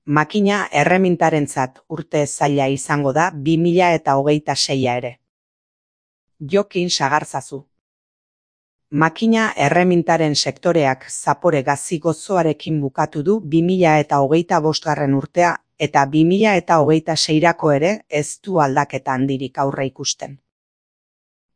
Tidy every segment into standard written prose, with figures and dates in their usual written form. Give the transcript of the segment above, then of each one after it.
makina erremintarentzat urte zaila izango da 2026 ere. Jokin sagarzazu. Makina erremintaren sektoreak zapore gazi gozoarekin bukatu du 2025 urtea eta 2026 ere ez du aldaketa handirik aurre ikusten.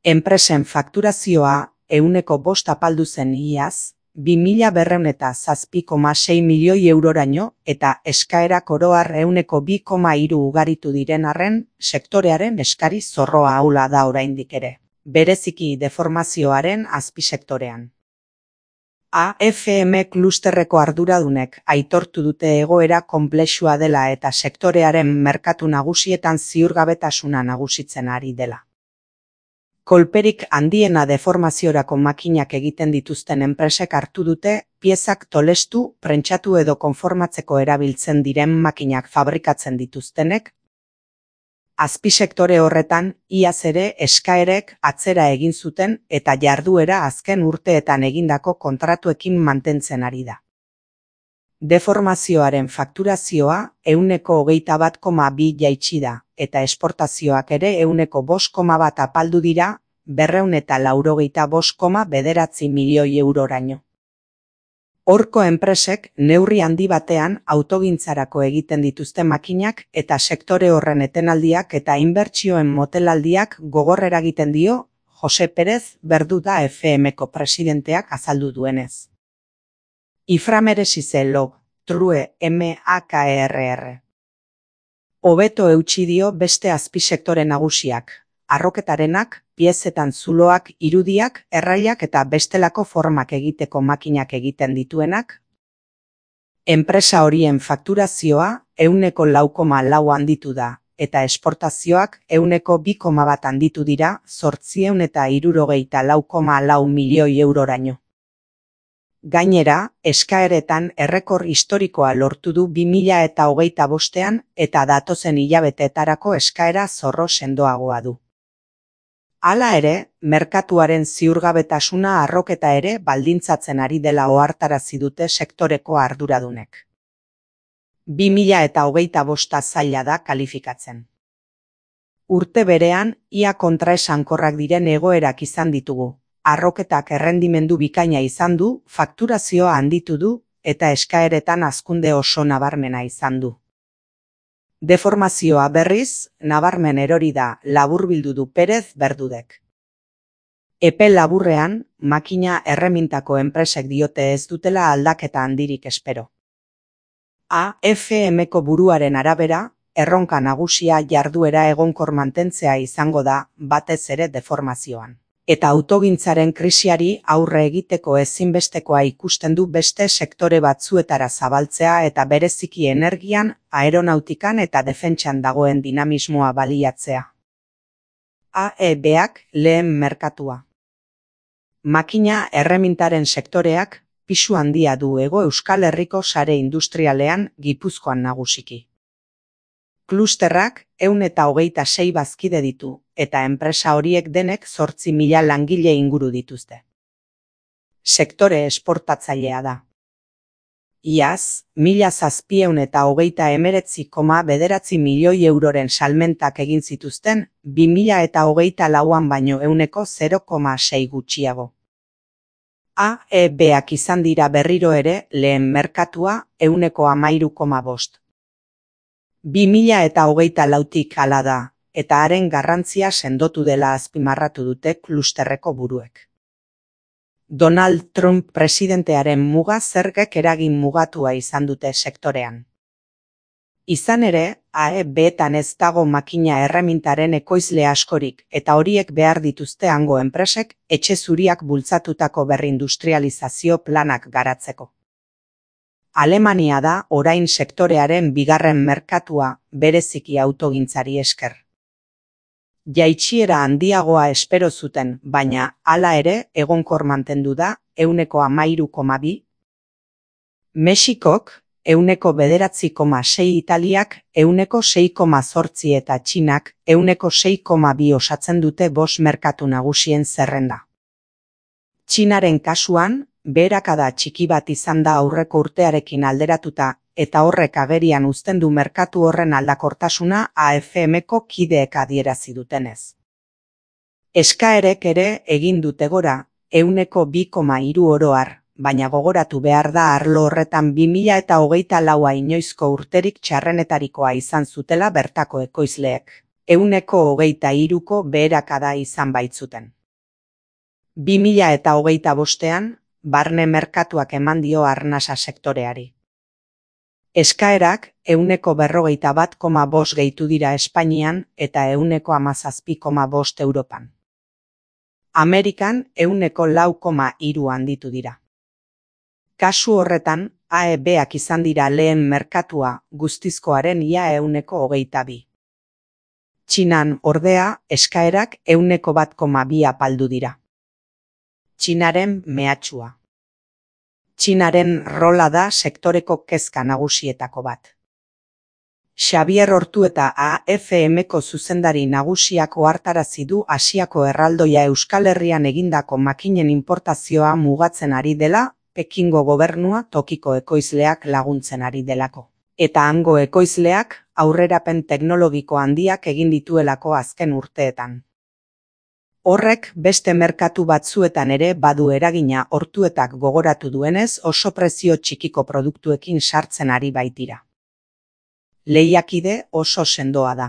Enpresen fakturazioa 5% apaldu zen iaz, 2.207,6 milioi euroraino eta eskaerak oro har 2,3 ugaritu diren arren, sektorearen eskari zorroa ahula da oraindik ere, bereziki deformazioaren azpisektorean. AFM klusterreko arduradunek aitortu dute egoera konplexua dela eta sektorearen merkatu nagusietan ziurgabetasuna nagusitzen ari dela. Kolperik handiena deformaziorako makinak egiten dituzten enpresek hartu dute, piezak tolestu, prentxatu edo konformatzeko erabiltzen diren makinak fabrikatzen dituztenek. Azpisektore horretan, iaz ere eskaerek atzera egin zuten eta jarduera azken urteetan egindako kontratuekin mantentzen ari da. Deformazioaren fakturazioa 21,2 jaitsi da, eta esportazioak ere 5,1 apaldu dira, 285,9 milioi euroraino. Horko enpresek neurri handi batean autogintzarako egiten dituzte makinak eta sektore horren etenaldiak eta inbertsioen motelaldiak gogor eragiten dio Jose Pérez Berduda FMko presidenteak azaldu duenez. Iframeresize log, true MAKRR. Hobeto eutsi dio beste azpisektore nagusiak, arroketarenak, piezetan zuloak, irudiak, erraiak eta bestelako formak egiteko makinak egiten dituenak. Enpresa horien fakturazioa 4,4 handitu da, eta esportazioak 2,1 handitu dira 864,4 milioi euroraino. Gainera, eskaeretan errekor historikoa lortu du 2025 eta datozen hilabeteetarako eskaera zorro sendoagoa du. Hala ere, merkatuaren ziurgabetasuna arroketa ere baldintzatzen ari dela ohartarazi dute sektoreko arduradunek. 2025 zaila da kalifikatzen. Urte berean, ia kontraesankorrak diren egoerak izan ditugu. Arroketak errendimendu bikaina izan du, fakturazioa handitu du, eta eskaeretan hazkunde oso nabarmena izan du. Deformazioa berriz, nabarmen erori da, laburbildu du Pérez Berdudek. Epe laburrean, makina erremintako enpresek diote ez dutela aldaketa handirik espero. AFMko buruaren arabera, erronka nagusia jarduera egonkor mantentzea izango da, batez ere deformazioan. Eta autogintzaren krisiari aurre egiteko ezinbestekoa ikusten du beste sektore batzuetara zabaltzea eta bereziki energian, aeronautikan eta defentsan dagoen dinamismoa baliatzea. AEBak lehen merkatua. Makina erremintaren sektoreak pisu handia du Hego Euskal Herriko sare industrialean, Gipuzkoan nagusiki. Klusterrak 126 bazkide ditu, eta enpresa horiek denek 8.000 langile inguru dituzte. Sektore esportatzailea da. Iaz, 1.729,9 milioi euroren salmentak egin zituzten, 2024an baino 0,6 gutxiago. AEBak izan dira berriro ere lehen merkatua 13,5. 2024tik hala da, eta haren garrantzia sendotu dela azpimarratu dute klusterreko buruek. Donald Trump presidentearen muga zergek eragin mugatua izan dute sektorean. Izan ere, AEBetan ez dago makina erremintaren ekoizle askorik eta horiek behar dituzte hango enpresek etxe zuriak bultzatutako berrindustrializazio planak garatzeko. Alemania da orain sektorearen bigarren merkatua bereziki autogintzari esker. Jaitsiera handiagoa espero zuten, baina hala ere egonkor mantendu da 13,2. Mexikok 9,6, Italiak 6,8 eta Txinak 6,2 osatzen dute 5 merkatu nagusien zerrenda. Txinaren kasuan, beherakada txiki bat izan da aurreko urtearekin alderatuta eta horrek agerian uzten du merkatu horren aldakortasuna AFM-ko kideek adierazi dutenez. Eskaerek ere egin dute gora, 2,3 oro har, baina gogoratu behar da arlo horretan 2024a inoizko urterik txarrenetarikoa izan zutela bertako ekoizleek, 23ko beherakada izan baitzuten. 2025ean, barne merkatuak eman dio arnasa sektoreari. Eskaerak 141,5 gehitu dira Espainian eta 117,5 Europan. Amerikan 4,3 handitu dira. Kasu horretan, AEB-ak izan dira lehen merkatua guztizkoaren ia 122. Txinan, ordea, eskaerak 1,2 apaldu dira. Txinaren mehatxua. Txinaren rola da sektoreko kezka nagusietako bat. Xabier Ortueta AFM-ko zuzendari nagusiak ohartarazi du Asiako erraldoia Euskal Herrian egindako makinen inportazioa mugatzen ari dela, Pekingo gobernua tokiko ekoizleak laguntzen ari delako. Eta hango ekoizleak aurrerapen teknologiko handiak egin dituelako azken urteetan. Horrek beste merkatu batzuetan ere badu eragina. Ortuetak gogoratu duenez oso prezio txikiko produktuekin sartzen ari baitira. Lehiakide oso sendoa da.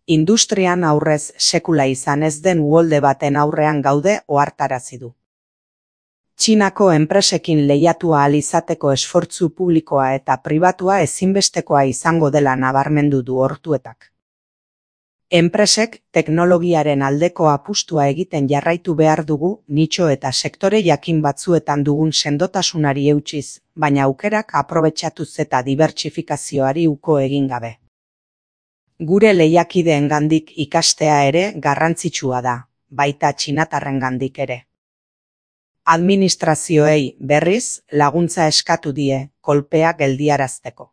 Industrian aurrez sekula izan ez den uholde baten aurrean gaude ohartarazi du. Txinako enpresekin lehiatu ahal izateko esfortzu publikoa eta pribatua ezinbestekoa izango dela nabarmendu du Ortuetak. Enpresek teknologiaren aldeko apustua egiten jarraitu behar dugu nitxo eta sektore jakin batzuetan dugun sendotasunari eutsiz, baina aukerak aprobetxatuz eta dibertsifikazioari uko egin gabe. Gure lehiakideengandik ikastea ere garrantzitsua da, baita txinatarrengandik ere. Administrazioei, berriz, laguntza eskatu die, kolpea geldiarazteko.